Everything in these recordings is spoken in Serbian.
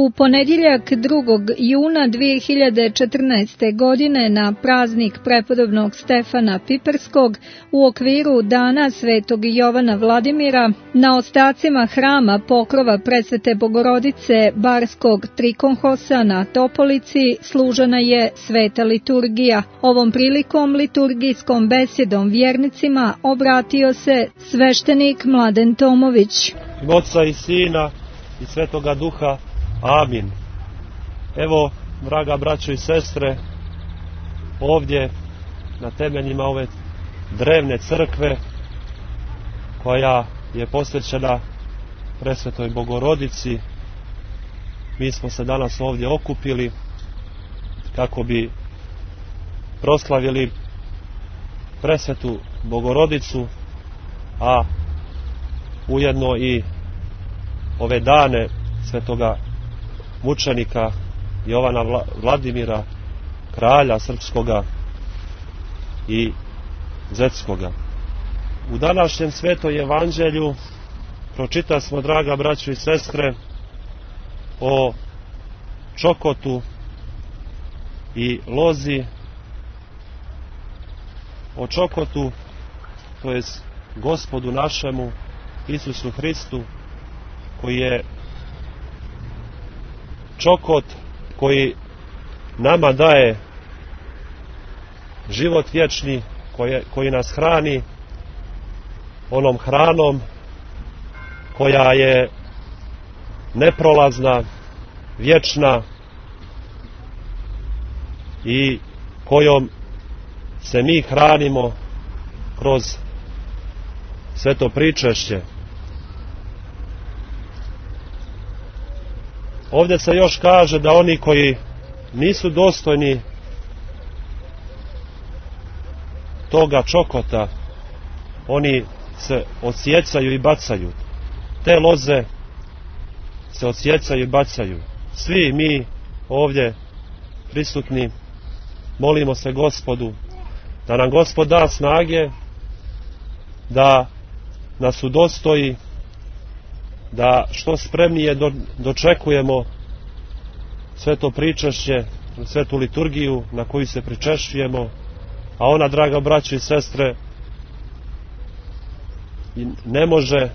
U ponedjeljak 2. juna 2014. godine na praznik prepodobnog Stefana Piperskog u okviru Dana Svetog Jovana Vladimira na ostacima hrama pokrova Presvete Bogorodice Barskog Trikonhosa na Topolici služena je sveta liturgija. Ovom prilikom liturgijskom besedom vjernicima obratio se sveštenik Mladen Tomović. Oca i Sina i Svetoga Duha. Amin. Evo, draga braćo i sestre, ovdje na temeljima ove drevne crkve koja je posvećena Presvetoj Bogorodici, mi smo se danas ovdje okupili kako bi proslavili Presvetu Bogorodicu, a ujedno i ove dane svetoga mučenika Jovana Vladimira, kralja srpskoga i zetskoga. U današnjem Svetoj Evanđelju pročita smo, draga braćo i sestre, o čokotu i lozi, o čokotu, to je Gospodu našemu Isusu Hristu, koji je čokot koji nama daje život vječni, koji nas hrani onom hranom koja je neprolazna, vječna i kojom se mi hranimo kroz sveto pričešće. Ovdje se još kaže da oni koji nisu dostojni toga čokota, oni se odsjecaju i bacaju. Te loze se odsjecaju i bacaju. Svi mi ovdje prisutni molimo se Gospodu da nam Gospod da snage, da nas udostoji, da što spremnije dočekujemo sveto pričešće, svetu liturgiju na koju se pričešćujemo, a ona, draga braćo i sestre, ne može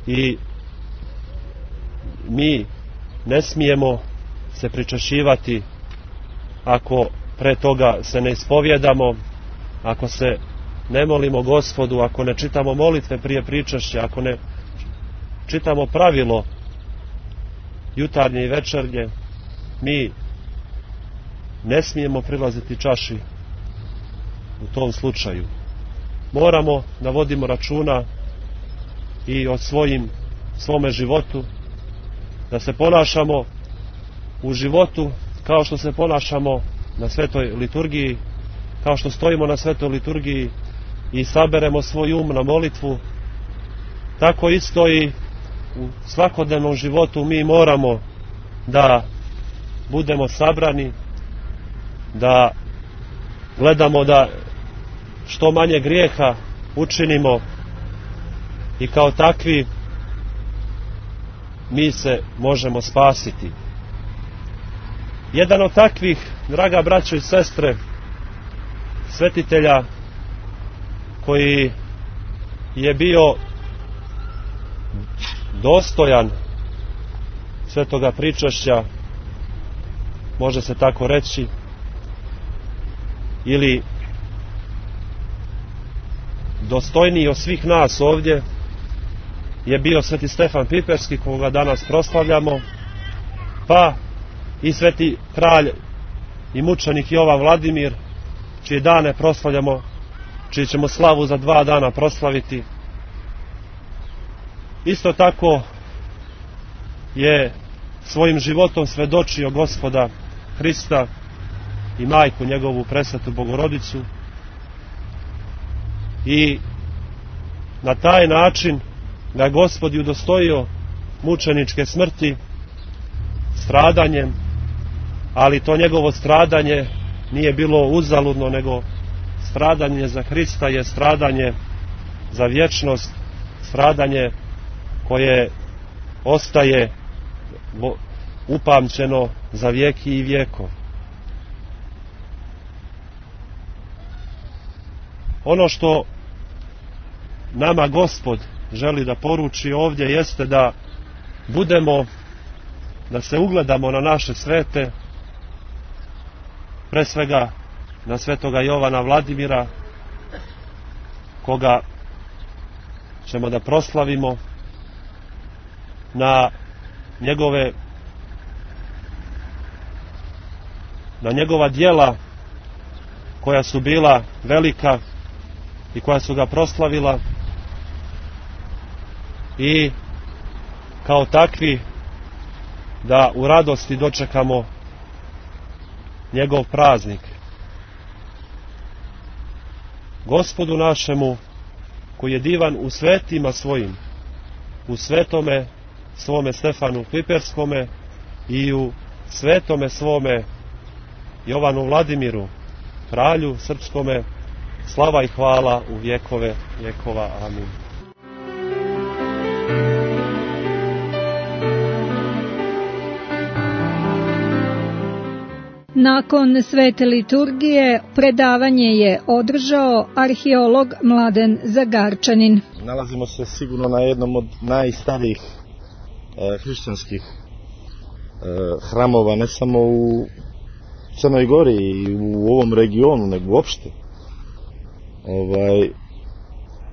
i mi ne smijemo se pričešćivati ako pre toga se ne ispovjedamo, ako se ne molimo Gospodu, ako ne čitamo molitve prije pričešća, ako ne čitamo pravilo jutarnje i večernje, mi ne smijemo prilaziti čaši u tom slučaju. Moramo da vodimo računa i o svome životu, da se ponašamo u životu kao što se ponašamo na svetoj liturgiji, kao što stojimo na svetoj liturgiji i saberemo svoj um na molitvu, tako isto i u svakodnevnom životu mi moramo da budemo sabrani, da gledamo da što manje grijeha učinimo i kao takvi mi se možemo spasiti. Jedan od takvih, draga braćo i sestre, svetitelja koji je bio dostojan svetoga pričešća, može se tako reći, ili dostojniji od svih nas ovdje, je bio sveti Stefan Piperski, koga danas proslavljamo, pa i sveti kralj i mučenik Jovan Vladimir, čije dane proslavljamo, čiji ćemo slavu za 2 dana proslaviti. Isto tako je svojim životom svedočio Gospoda Hrista i majku njegovu Presvetu Bogorodicu i na taj način ga Gospod udostojio mučeničke smrti stradanjem, ali to njegovo stradanje nije bilo uzaludno, nego stradanje za Hrista je stradanje za vječnost, stradanje koje ostaje upamćeno za vijeki i vijekov. Ono što nama Gospod želi da poruči ovdje jeste da budemo, da se ugledamo na naše svete, pre svega na svetoga Jovana Vladimira, koga ćemo da proslavimo, na njegova djela koja su bila velika i koja su ga proslavila, i kao takvi da u radosti dočekamo njegov praznik. Gospodu našemu, koji je divan u svetima svojim, u svetome svome Stefanu Piperskome i u svetome svome Jovanu Vladimiru, kralju srpskome, slava i hvala u vjekove vjekova. Amin. Nakon svete liturgije predavanje je održao arheolog Mladen Zagarčanin. Nalazimo se sigurno na jednom od najstarijih hrišćanskih hramova, ne samo u Crnoj Gori i u ovom regionu, nego uopšte.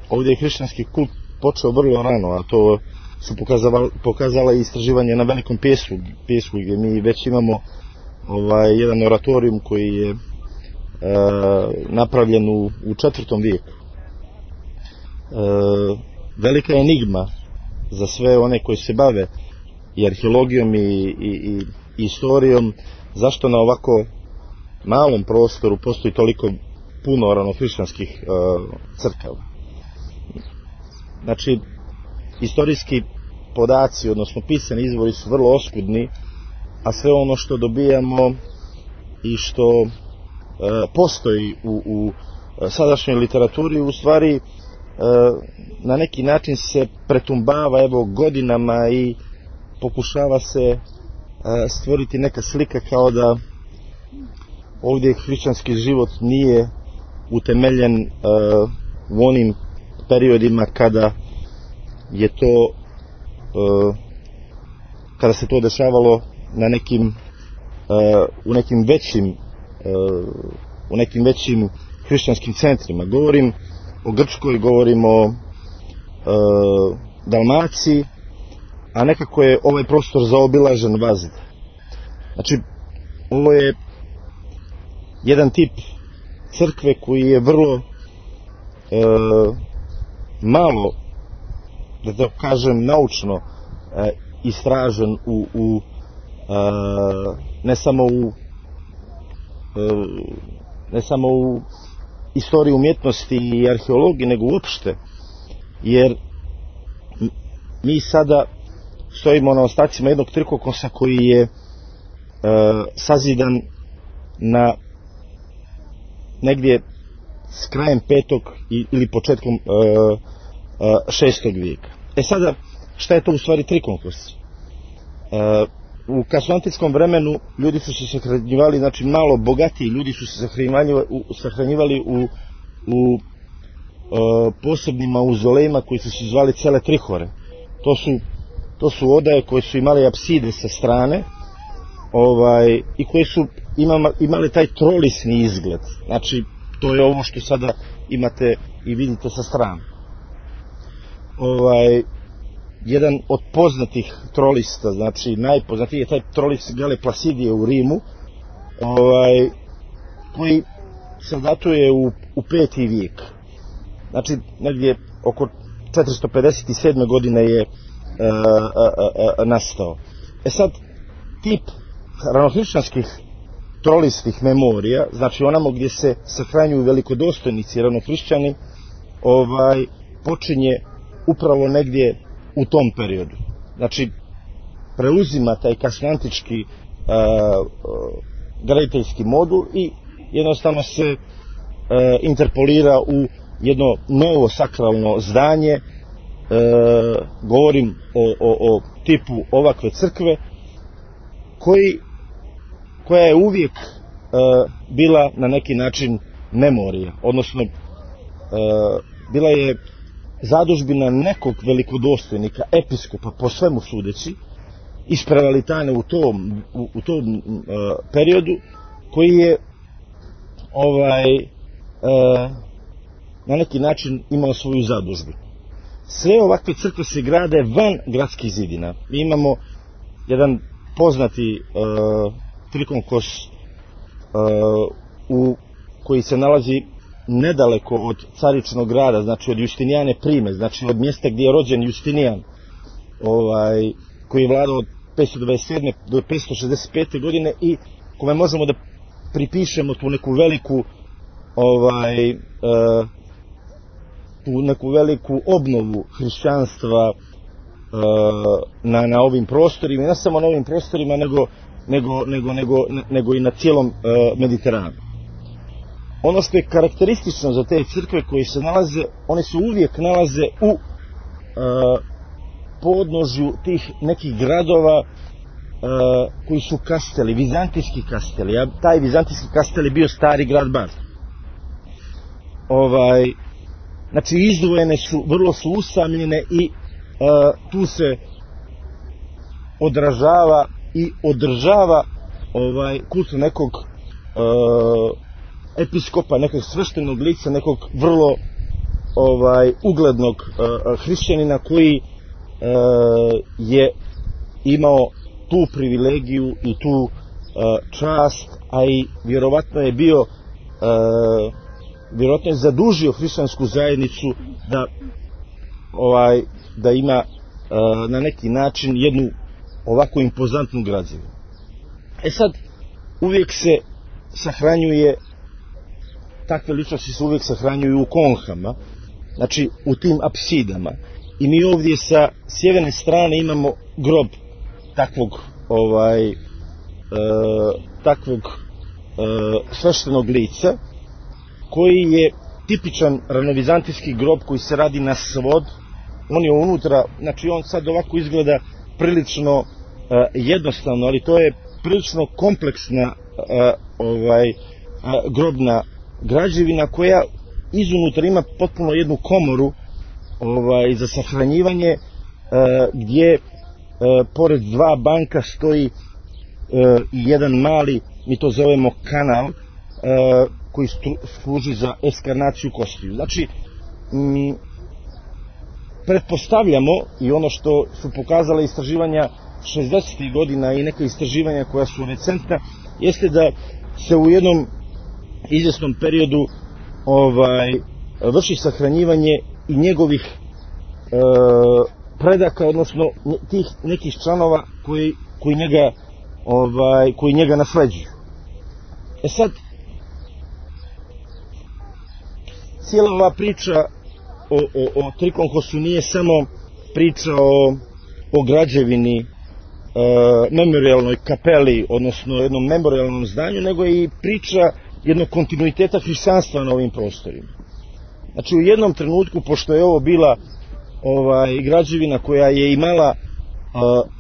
Ovdje je hrišćanski kult počeo vrlo rano, a to su pokazala i istraživanje na Velikom Pjesku, gdje mi već imamo jedan oratorijum koji je napravljen u 4. vijeku. Velika je enigma za sve one koji se bave i arheologijom i istorijom, zašto na ovako malom prostoru postoji toliko puno ranohrišćanskih crkava. Znači, istorijski podaci, odnosno pisani izvori su vrlo oskudni, a sve ono što dobijamo i što postoji u sadašnjoj literaturi u stvari na neki način se pretumbava godinama i pokušava se stvoriti neka slika kao da ovdje hrišćanski život nije utemeljen u onim periodima kada je to kada se to dešavalo na nekim u nekim većim hrišćanskim centrima. Govorim o Grčkoj, govorim o Dalmaciji, a nekako je ovaj prostor zaobilažen vazda. Znači, ovo je jedan tip crkve koji je vrlo malo, da to kažem naučno, istražen ne samo u istoriji umjetnosti i arheologiji, nego uopšte, jer mi sada stojimo na ostacima jednog trikokosa koji je sazidan na negdje s krajem 5. ili početkom 6. vijeka. Sada, šta je to u stvari trikokos? U kasnoantičkom vremenu ljudi su se sahranjivali, znači malo bogatiji ljudi su se sahranjivali u posebnim mauzolejima koji su se zvali cele trihore. To su odaje koje su imali apside sa strane i koje su imali taj trolisni izgled. Znači, to je ovo što sada imate i vidite sa strane. Jedan od poznatih trolista, znači najpoznatiji je taj trolis Gale Placidije u Rimu, koji se datuje u 5. vijek. Znači, negdje oko 457. godine je nastao. Sad, tip ranohrišćanskih trolistih memorija, znači onamo gdje se sahranjuju velikodostojnici ranohrišćani, počinje upravo negdje u tom periodu. Znači, preuzima taj kasnoantički graditeljski modul i jednostavno se interpolira u jedno novo sakralno zdanje. Govorim o tipu ovakve crkve koja je uvijek bila na neki način memorija, odnosno bila je zadužbina nekog velikodostojnika, episkopa po svemu sudeći, iz Prevalitane u tom periodu, koji je na neki način imao svoju zadužbinu. Sve ovakve crkve se grade van gradskih zidina. Mi imamo jedan poznati trikonkos koji se nalazi nedaleko od Caričnog grada, znači od Justinijane Prime, znači od mjesta gdje je rođen Justinijan, koji je vladao od 527. do 565. godine i kome možemo da pripišemo tu neku veliku obnovu hrišćanstva na ovim prostorima, i ne samo na ovim prostorima, nego i na cijelom Mediteranu. Ono što je karakteristično za te crkve koje se nalaze, one se uvijek nalaze u podnožju tih nekih gradova koji su kasteli, vizantijski kasteli. Taj vizantijski kastel je bio stari grad Bar. Znači izdvojene su, vrlo su usamljene i tu se odražava i održava kult nekog episkopa, nekog sveštenog lica, nekog vrlo uglednog hrišćanina koji je imao tu privilegiju i tu čast, a i vjerovatno je zadužio hrišćansku zajednicu da ima na neki način jednu ovako impozantnu građevinu. Sad, uvijek se sahranjuje, takve ličnosti se uvijek sahranjuju u konhama, znači u tim apsidama. I mi ovdje sa sjeverne strane imamo grob takvog sveštenog lica, koji je tipičan ranovizantijski grob koji se radi na svod. On je unutra, znači on sad ovako izgleda prilično jednostavno, ali to je prilično kompleksna grobna građevina koja izunutra ima potpuno jednu komoru za sahranjivanje, gdje pored dva banka stoji jedan mali, mi to zovemo kanal, koji služi za eskarnaciju kostiju. Znači, pretpostavljamo, i ono što su pokazala istraživanja 60. godina i neka istraživanja koja su recentna, jeste da se u jednom izvjesnom periodu vrši sahranjivanje i njegovih predaka, odnosno tih nekih članova koji njega nasleđuju. Sad, cijela ova priča o Trikonkosu nije samo priča o građevini, memorialnoj kapeli, odnosno jednom memorialnom zdanju, nego je i priča jednog kontinuiteta hrišćanstva na ovim prostorima. Znači, u jednom trenutku, pošto je ovo bila građevina koja je imala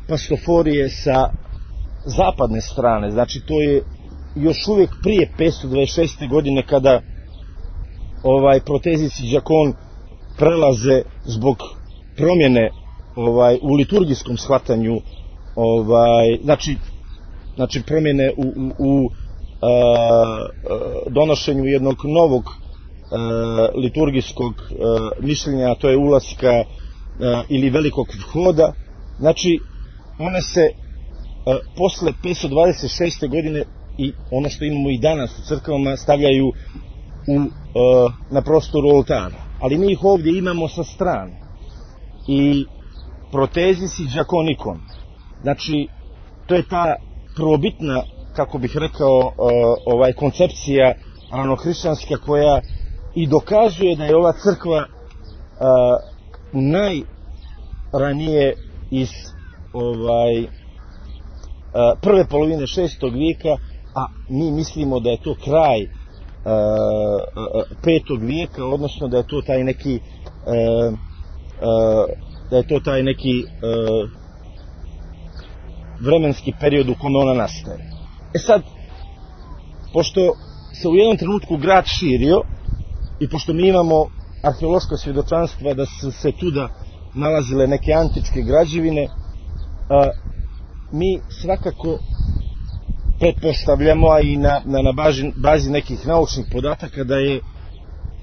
pastoforije sa zapadne strane, znači to je još uvijek prije 526. godine, kada Protezis i Đakon prelaze zbog promjene u liturgijskom shvatanju, znači promjene u donošenju jednog novog liturgijskog mišljenja, a to je ulaska ili velikog vhoda. Znači, one se posle 526. godine, i ono što imamo i danas u crkvama, stavljaju na prostoru oltara, ali mi ih ovdje imamo sa strane. I Protezis i Đakonikon, znači to je ta prvobitna, kako bih rekao, koncepcija ranohrišćanska, koja i dokazuje da je ova crkva najranije iz prve polovine 6. vijeka, a mi mislimo da je to kraj 5. vijeka, odnosno da je to taj neki vremenski period u kome ona nastaje. Sad, pošto se u jednom trenutku grad širio i pošto mi imamo arheološka svjedočanstva da su se tuda nalazile neke antičke građevine, mi svakako pretpostavljamo, a i na bazi nekih naučnih podataka,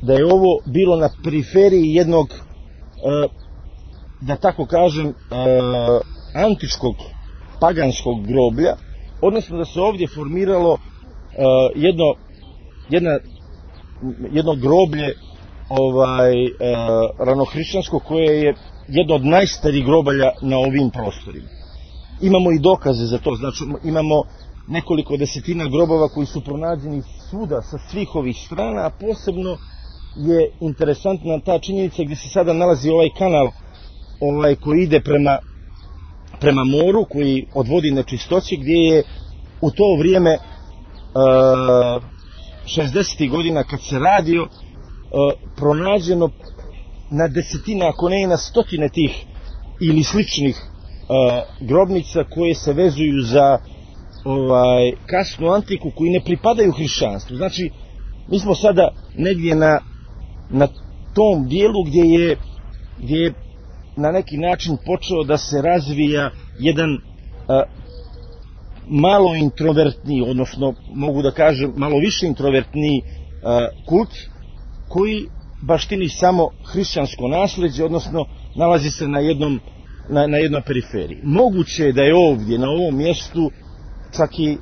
da je ovo bilo na periferiji jednog, da tako kažem, antičkog paganskog groblja, odnosno da se ovdje formiralo jedno groblje ranohrišćansko, koje je jedno od najstarijih grobalja na ovim prostorima. Imamo i dokaze za to, znači imamo nekoliko desetina grobova koji su pronađeni svuda sa svih ovih strana, a posebno je interesantna ta činjenica gdje se sada nalazi ovaj kanal koji ide prema moru, koji odvodi nečistoće, gdje je u to vrijeme 60. godina kad se radio pronađeno na desetine, ako ne i na stotine tih ili sličnih grobnica koje se vezuju za kasnu antiku, koji ne pripadaju hrišćanstvu. Znači, mi smo sada negdje na tom dijelu gdje je na neki način počeo da se razvija jedan malo introvertniji, odnosno mogu da kažem malo više introvertniji kult, koji baštini samo hrišćansko nasleđe, odnosno nalazi se na jednoj periferiji. Moguće je da je ovdje, na ovom mjestu, čak i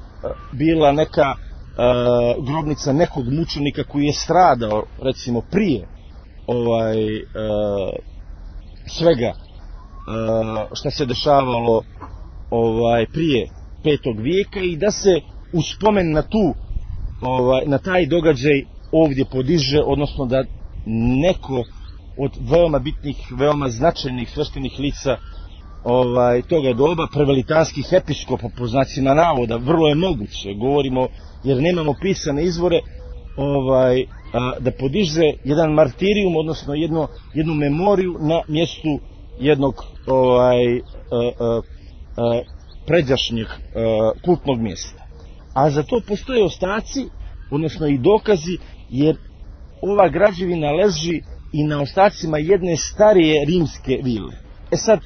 bila neka grobnica nekog mučenika koji je stradao, recimo, prije svega što se dešavalo prije 5. vijeka, i da se u spomen na taj događaj ovdje podiže, odnosno da neko od veoma bitnih, veoma značajnih sveštenih lica toga doba, prevelitanskih episkopa po znacima navoda, vrlo je moguće, govorimo jer nemamo pisane izvore, da podiže jedan martirijum, odnosno jednu memoriju na mjestu jednog pređašnjeg kultnog mjesta. A za to postoje ostaci, odnosno i dokazi, jer ova građevina leži i na ostacima jedne starije rimske vile. Sad,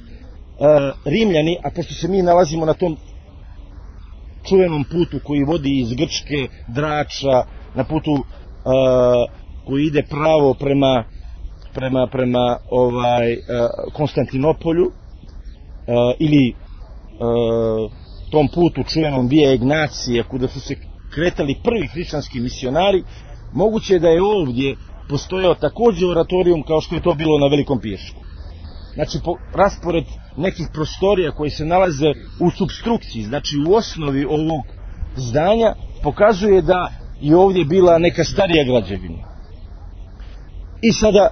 Rimljani, a pošto se mi nalazimo na tom čuvenom putu koji vodi iz Grčke, Drača, na putu koji ide pravo prema Konstantinopolju, ili tom putu čuvenom Via Ignacija, kuda su se kretali prvi hrišćanski misionari, moguće je da je ovdje postojao također oratorijum kao što je to bilo na Velikom Piješku. Znači, raspored nekih prostorija koji se nalaze u supstrukciji, znači u osnovi ovog zdanja, pokazuje da je ovdje bila neka starija građevina. I sada,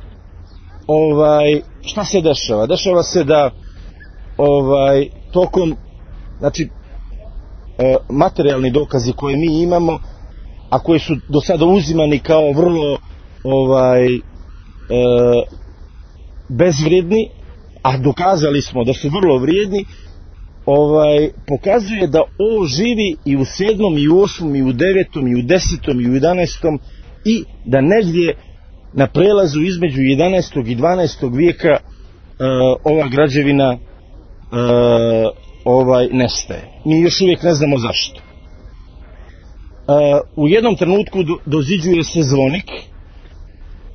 šta se dešava? Dešava se da tokom, znači, materijalni dokazi koje mi imamo, a koji su do sada uzimani kao vrlo bezvrijedni, a dokazali smo da su vrlo vrijedni, pokazuje da ovo živi i u 7. i u 8. i u 9. i u 10. i u 11. i da negdje na prelazu između 11. i 12. vijeka ova građevina nestaje. Mi još uvijek ne znamo zašto. U jednom trenutku doziđuje se zvonik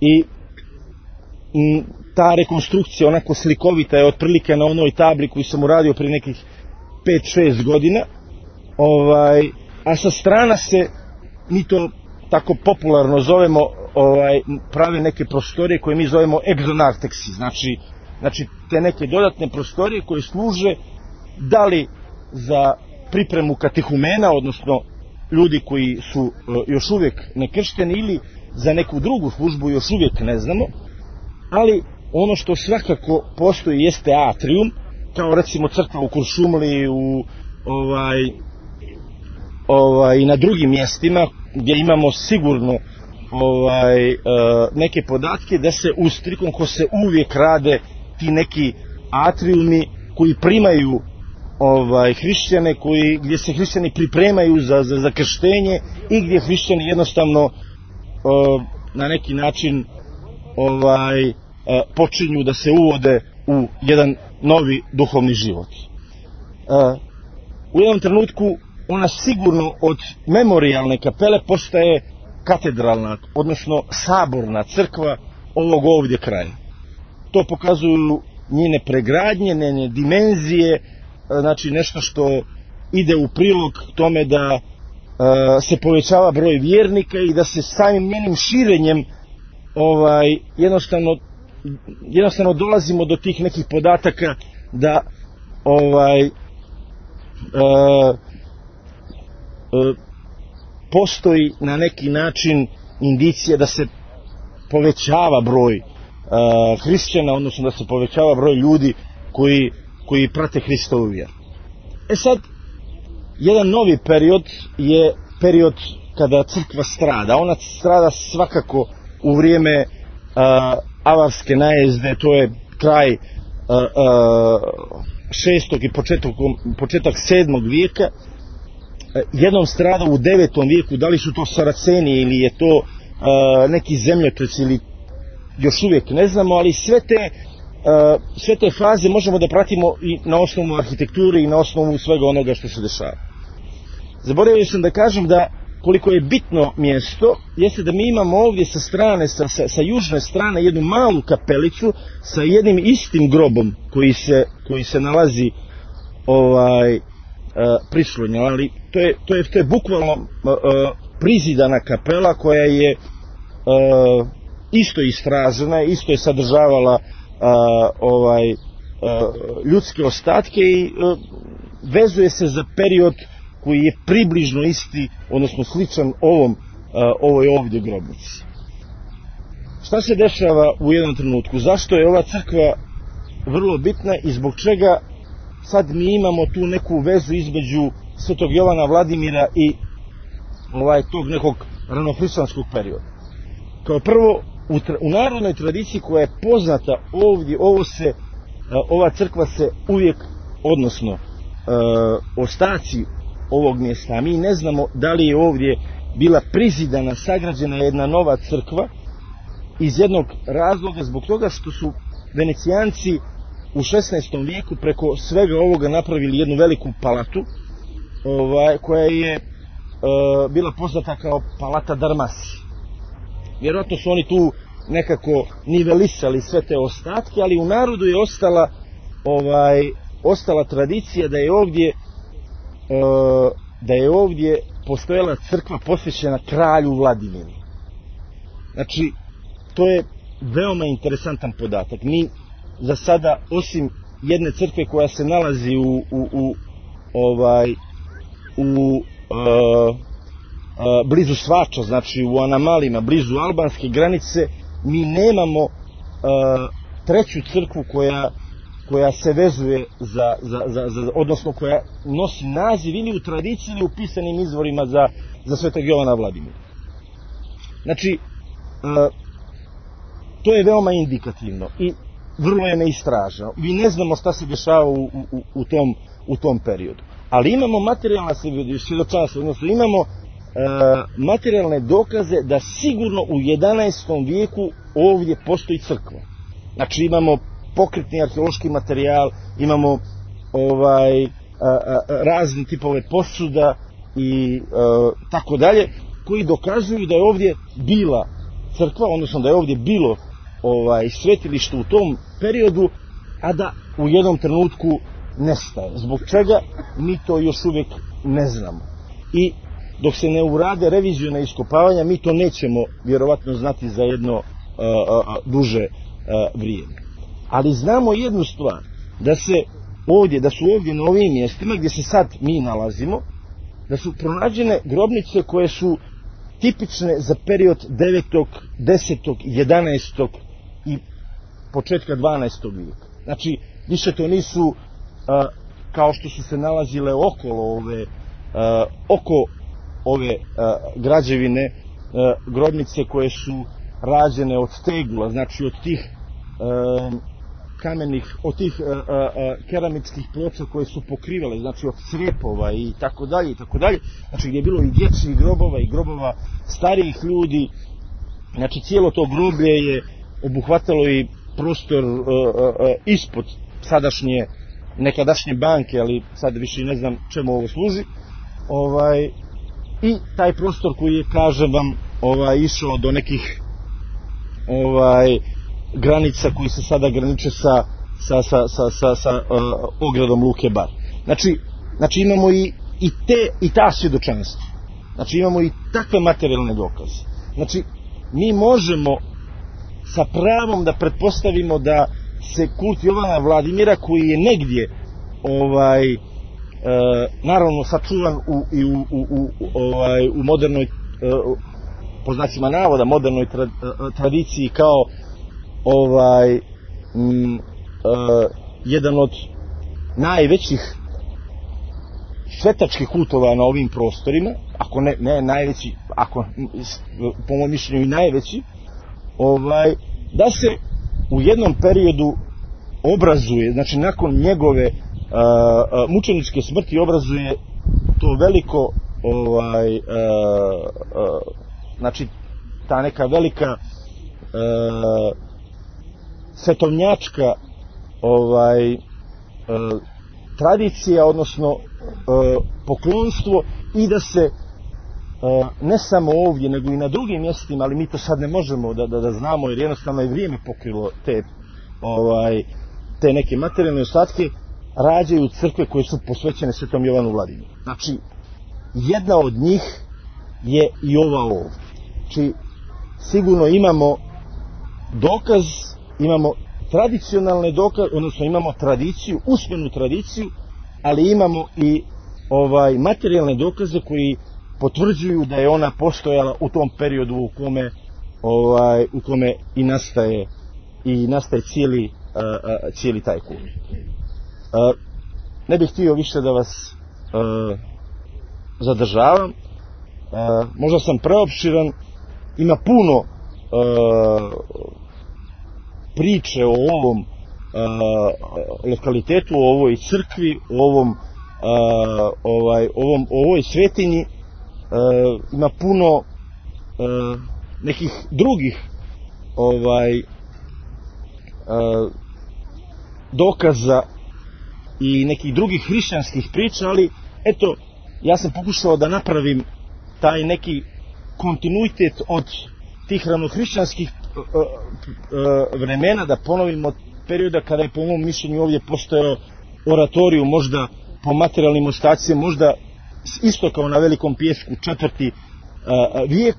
i ta rekonstrukcija onako slikovita je otprilike na onoj tabli koju sam uradio prije nekih 5-6 godina, a sa strana se, mi to tako popularno zovemo, prave neke prostorije koje mi zovemo exonarteksi, znači te neke dodatne prostorije koje služe da li za pripremu katehumena, odnosno ljudi koji su još uvijek nekršteni, ili za neku drugu službu, još uvijek ne znamo, ali ono što svakako postoji jeste atrium, kao recimo crkva u Kuršumliji, i na drugim mjestima gdje imamo sigurno neke podatke da se uz Trikonkos se uvijek rade ti neki atriumi koji primaju hrišćane gdje se hrišćani pripremaju za krštenje i gdje hrišćani jednostavno na neki način počinju da se uvode u jedan novi duhovni život. U jednom trenutku ona sigurno od memorijalne kapele postaje katedralna, odnosno saborna crkva ovog ovdje kraja. To pokazuju njene pregradnje, njene dimenzije, znači nešto što ide u prilog tome da se povećava broj vjernika i da se samim njenim širenjem jednostavno dolazimo do tih nekih podataka da postoji na neki način indicija da se povećava broj hrišćana, odnosno da se povećava broj ljudi koji prate Hristovu vjeru. Sad, jedan novi period je period kada crkva strada. Ona strada svakako u vrijeme avarske najezde, to je kraj 6. i početak 7. vijeka. Jednom strada u 9. vijeku, da li su to Saraceni ili je to neki zemljotres ili još uvijek ne znamo, ali sve te faze možemo da pratimo i na osnovu arhitekture i na osnovu svega onoga što se dešava. Zaboravio sam da kažem da koliko je bitno mjesto, jeste da mi imamo ovdje sa strane, sa južne strane jednu malu kapelicu sa jednim istim grobom koji se nalazi prislonjen, ali to je bukvalno prizidana kapela koja je isto istražena, isto je sadržavala ljudske ostatke i vezuje se za period koji je približno isti, odnosno sličan ovoj ovdje grobnici. Šta se dešava u jednom trenutku? Zašto je ova crkva vrlo bitna i zbog čega sad mi imamo tu neku vezu između Svetog Jovana Vladimira i tog nekog ranohrišćanskog perioda? Kao prvo, u narodnoj tradiciji koja je poznata ovdje, ova crkva se uvijek, odnosno ostaci ovog mjesta, a mi ne znamo da li je ovdje bila prizidana, sagrađena jedna nova crkva, iz jednog razloga, zbog toga što su Venecijanci u 16. vijeku preko svega ovoga napravili jednu veliku palatu, koja je bila poznata kao Palata Darmasi. Vjerojatno su oni tu nekako nivelisali sve te ostatke, ali u narodu je ostala tradicija da je ovdje postojala crkva posvećena kralju Vladimiru. Znači, to je veoma interesantan podatak. Mi za sada, osim jedne crkve koja se nalazi blizu Svača, znači u Anamalima, blizu albanske granice, mi nemamo treću crkvu koja se vezuje odnosno koja nosi naziv ili u tradiciji ili u pisanim izvorima za Svetog Jovana Vladimira. Znači, to je veoma indikativno i vrlo je neistraženo. Mi ne znamo šta se dešava u tom periodu. Ali imamo materijalna svjedočanstva, odnosno imamo materijalne dokaze da sigurno u 11. vijeku ovdje postoji crkva. Znači imamo pokretni arheološki materijal, imamo razni tipove posuda i tako dalje, koji dokazuju da je ovdje bila crkva, odnosno da je ovdje bilo svetilište u tom periodu, a da u jednom trenutku nestaje. Zbog čega mi to još uvijek ne znamo. I dok se ne urade reviziona iskopavanja, mi to nećemo vjerovatno znati za jedno duže vrijeme. Ali znamo jednu stvar, da su ovdje na ovim mjestima gdje se sad mi nalazimo, da su pronađene grobnice koje su tipične za period 9., 10., 11. i početka 12. vijeka. Znači, više to nisu kao što su se nalazile oko ove građevine grobnice koje su rađene od tegula, znači od tih kamenih, od tih keramičkih ploča koje su pokrivale, znači od crepova i tako dalje, znači gdje je bilo i dječjih grobova i grobova starijih ljudi, znači cijelo to groblje je obuhvatalo i prostor ispod sadašnje, nekadašnje banke, ali sad više ne znam čemu ovo služi, i taj prostor koji je, kažem vam, išao do nekih granica koji se sada graniče sa ogradom Luke Bar. Znači imamo i ta svjedočanstva. Znači imamo i takve materijalne dokaze. Znači mi možemo sa pravom da pretpostavimo da se kult Jovana Vladimira, koji je negdje naravno sačuvan u modernoj, po znacima navoda, modernoj tradiciji kao jedan od najvećih svetačkih kultova na ovim prostorima, ako ne najveći, ako po mojom mišljenju i najveći, da se u jednom periodu obrazuje, znači nakon njegove mučeničke smrti obrazuje to veliko znači ta neka velika svetovnjačka tradicija, odnosno poklonstvo, i da se ne samo ovdje nego i na drugim mjestima, ali mi to sad ne možemo da znamo jer jednostavno je vrijeme pokrilo te neke materijalne ostatke, rađaju crkve koje su posvećene Svetom Jovanu Vladimiru. Znači jedna od njih je i ova ovdje. Znači sigurno imamo dokaz, imamo tradicionalne dokaze, odnosno imamo tradiciju, usmenu tradiciju, ali imamo i materijalne dokaze koji potvrđuju da je ona postojala u tom periodu u kome i nastaje cijeli taj kult. Ne bih htio više da vas zadržavam, možda sam preopširan, ima puno priče o ovom lokalitetu, o ovoj crkvi, o ovoj svetinji, ima puno nekih drugih dokaza i nekih drugih hrišćanskih priča, ali eto, ja sam pokušao da napravim taj neki kontinuitet od tih ranohrišćanskih vremena, da ponovim od perioda kada je po mom mišljenju ovdje postojao oratoriju, možda po materijalnim ostacima, možda isto kao na Velikom Pijesku 4. vijek,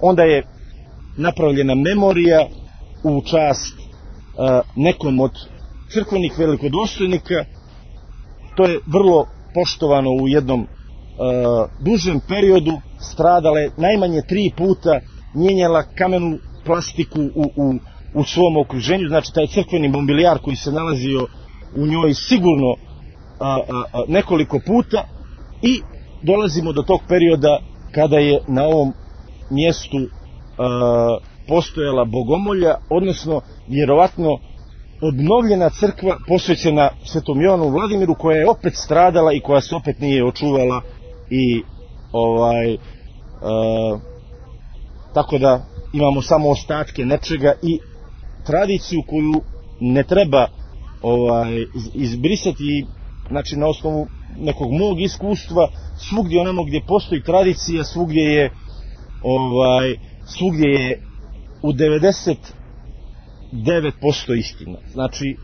onda je napravljena memorija u čast nekom od crkvenih velikodostojnika. To je vrlo poštovano u jednom dužem periodu, stradala je najmanje 3 puta, mijenjala kamenu plastiku u svom okruženju, znači taj crkveni mobilijar koji se nalazio u njoj sigurno nekoliko puta, i dolazimo do tog perioda kada je na ovom mjestu postojala bogomolja, odnosno vjerovatno obnovljena crkva posvećena Svetom Jovanu Vladimiru, koja je opet stradala i koja se opet nije očuvala, i tako da imamo samo ostatke nečega i tradiciju koju ne treba izbrisati. Znači na osnovu nekog mog iskustva, svugdje onamo gdje postoji tradicija, svugdje je u 99% istina. Znači,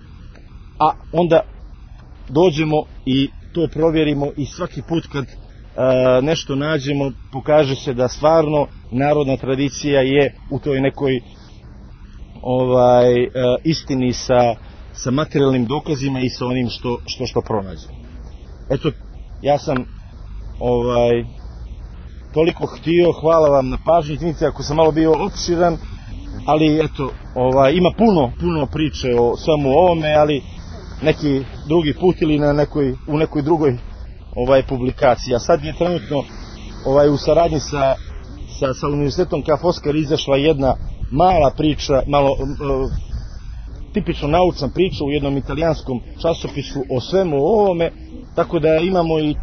a onda dođemo i to provjerimo, i svaki put kad nešto nađemo, pokaže se da stvarno narodna tradicija je u toj nekoj istini sa materijalnim dokazima i sa onim što pronađemo. Eto, ja sam toliko htio. Hvala vam na pažnji, izvinite ako sam malo bio opširan, ali eto, ima puno priče o svemu ovome, ali neki drugi put ili u nekoj drugoj publikaciji. A sad je trenutno u saradnji sa Univerzitetom Ka' Foscar izašla jedna mala priča, tipično naučna priča u jednom italijanskom časopisu o svemu ovome, tako da imamo i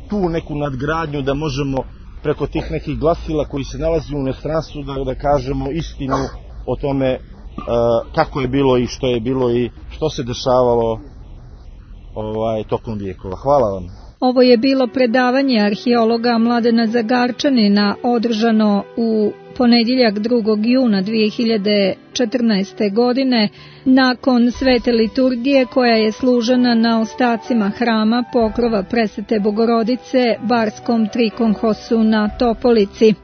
tu neku nadgradnju da možemo preko tih nekih glasila koji se nalazi u inostranstvu da kažemo istinu o tome kako je bilo i što je bilo i što se dešavalo tokom vijekova. Hvala vam. Ovo je bilo predavanje arheologa Mladena Zagarčanina održano u ponedjeljak 2. juna 2014. godine nakon svete liturgije koja je služena na ostacima hrama Pokrova Presvete Bogorodice Barskom Trikonhosu na Topolici.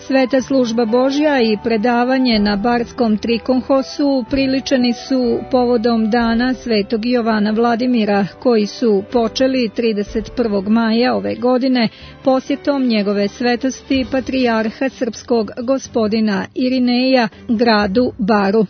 Sveta služba Božja i predavanje na Barskom Trikonhosu priličeni su povodom dana Svetog Jovana Vladimira, koji su počeli 31. maja ove godine posjetom njegove svetosti patrijarha srpskog gospodina Irineja gradu Baru.